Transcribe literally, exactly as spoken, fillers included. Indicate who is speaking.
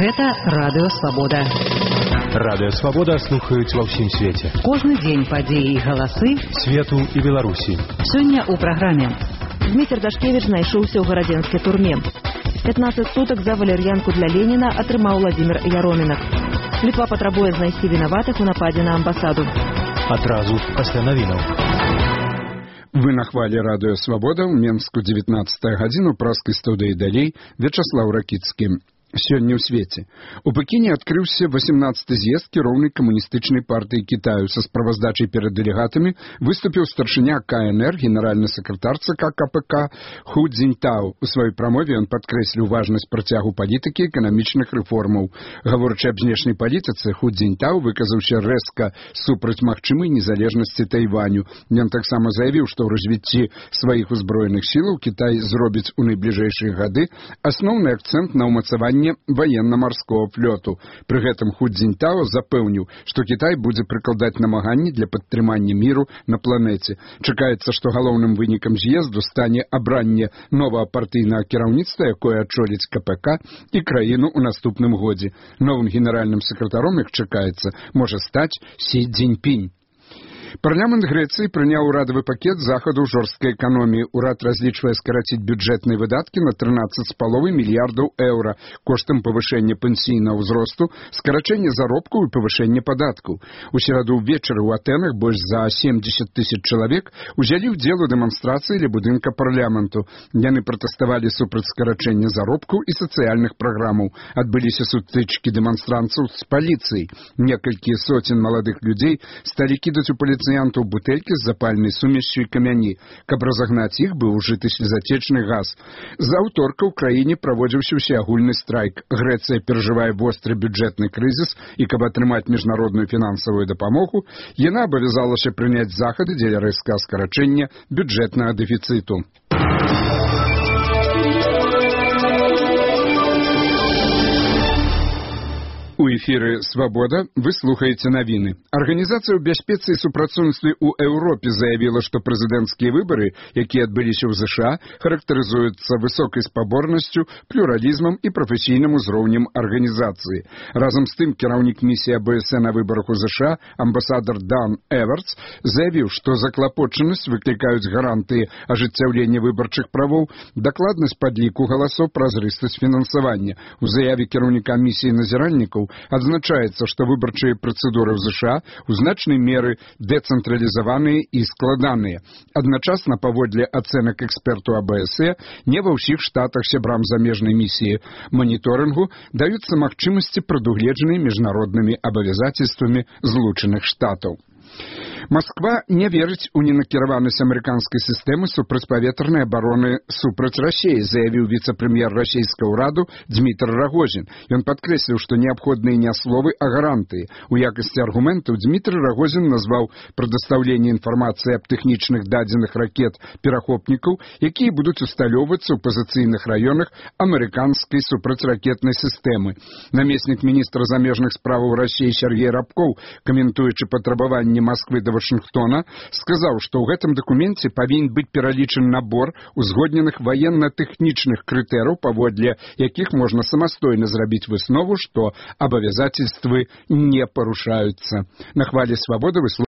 Speaker 1: Гэта Радыё Свабода.
Speaker 2: Радыё Свабода слухаюць ва ўсім свеце.
Speaker 1: Кожны дзень падзеі і галасы
Speaker 2: свету і Беларусі.
Speaker 1: Сёння ў праграме.
Speaker 3: Дмітрий Дашкевич знайшоўся ў гарадзенскай турме. пятнадцать суток за валер'янку для Леніна атрымаў Владимир Яромінак. Літва патрабуе знайсці вінаватых у нападзе на амбасаду.
Speaker 2: Адразу пасля навінаў.
Speaker 4: Вы на хвале Радыё Свабода ў Менску дзевятнадцатая гадзіну праскай студыі далей Вячаслаў Ракіцкі. Сёння ў свеце. У Пекіне адкрыўся восемнадцаты з'езд кіроўнай камуністычнай партыі Кітаю. Са справаздачай перад дэлегатамі выступіў старшыня КНР, генеральны сакратар ЦК КПК Ху Цзіньтао. У сваёй прамове ён падкрэсліў важнасць працягу палітыкі эканамічных рэформаў. Гаворачы аб знешняй палітыцы, Ху Цзіньтао выказаўся рэзка супраць магчымай незалежнасці Тайваню. Ён таксама заявіў, што ў развіцці сваіх узброеных сілаў Кітай зробіць у найбліжэйшыя гады асноўны акцэнт на ўмацаванне военно-марского флоту. Пры гэтым Ху Цзіньтао запэўніў, што Кітай будзе прыкладаць намаганні для падтрымання міру на планеце. Чакаецца, што галоўным вынікам з'езду стане абранне новага партыйнага кіраўніцтва, якое адчоліць КПК і краіну ў наступным годзе. Новым генеральным сакратаром, як чакаецца, можа стаць Сі Цзіньпінь. Парламент Грэцыі прыняў урадавы пакет захаду жорсткай эканоміі. Урад разлічвае скараціць бюджэтныя выдаткі на трынаццаць з паловай мільярдаў еўра коштам павышэння пенсійнага ўзросту, скарачэння заробкаў і павышэння падаткаў. У сераду ўвечары ў Атэнах больш за семдзесят тысяч чалавек узялі ўдзел у дэманстрацыі ля будынка парламенту. Яны пратэставалі супраць скарачэння заробкаў і сацыяльных праграмаў. Адбыліся сутычкі дэманстрантцаў з паліцыяй. Некалькі соцень маладых людзей сталі кідаць у паліцыянтаў бутэлькі з запальнай сумессю і камяні. Каб разагнаць іх, быў ужыты слезатечны газ. З аўторка ў краіне праводзіўся ўсеагульны страйк. Грэцыя перажывае востры бюджэтны крызіс, і каб атрымаць міжнародную фінансавую дапамогу, яна абавязалася прыняць захады дзеля рэзкага скарачэння бюджэтнага дэфіцыту. У эфіры «Свабода» вы слухаеце навіны. Арганізацыя ў бяспецы і супрацоўніцтве ў Еўропе заявіла, што прэзідэнцкія выбары, якія адбыліся ў ЗША, характарызуюцца высокай спаборнасцю, плюралізмам і прафесійным узроўнем арганізацыі. Разам з тым, кіраўнік місіі АБС на выбарах у ЗША, амбасадар Дан Эвертс, заявіў, што заклапочанасць выклікаюць гарантыі ажыццяўлення выбарчых правоў, дакладнасць падліку галасоў, празрыстасць фінансавання. У заяве кіраўніка місіі назіральнікаў адзначаецца, што выбарчыя працэдуры ў ЗША ў значнай меры дэцэнтралізаваныя і складаныя. Адначасна, паводле ацэнак эксперту АБС, не ва ўсіх штатах сябрам замежнай місіі маніторынгу даюцца магчымасці, прадугледжаныя міжнароднымі абавязацельствамі Злучаных Штатаў. Москва не верыць у ненакіраванасць амерыканскай сістэмы супрацьпаветранай абароны супраць Расіі, заявіў віцэ-прэм'ер расійскага ўраду Дмітрий Рагозін. Ён падкрэсліў, што неабходныя не словы, а гарантыі. У якасці аргументаў Дмітрий Рагозін назваў прадастаўленне інфармацыі аб тэхнічных дадзеных ракет перахопнікаў, якія будуць усталёўвацца ў пазіцыйных раёнах амерыканскай супрацьракетнай сістэмы. Намеснік міністра замежных справаў Расіі Сергей Рабкоў, каментуючы патрабаванні Москвы да Вашынгтона, сказаў, што ў гэтым дакуменце павінен быць пералічаны набор узгодненых ваенна-тэхнічных крытэрыяў, паводле якіх можна самастойна зрабіць выснову, што абавязацельствы не парушаюцца. На хвале Свабоды вы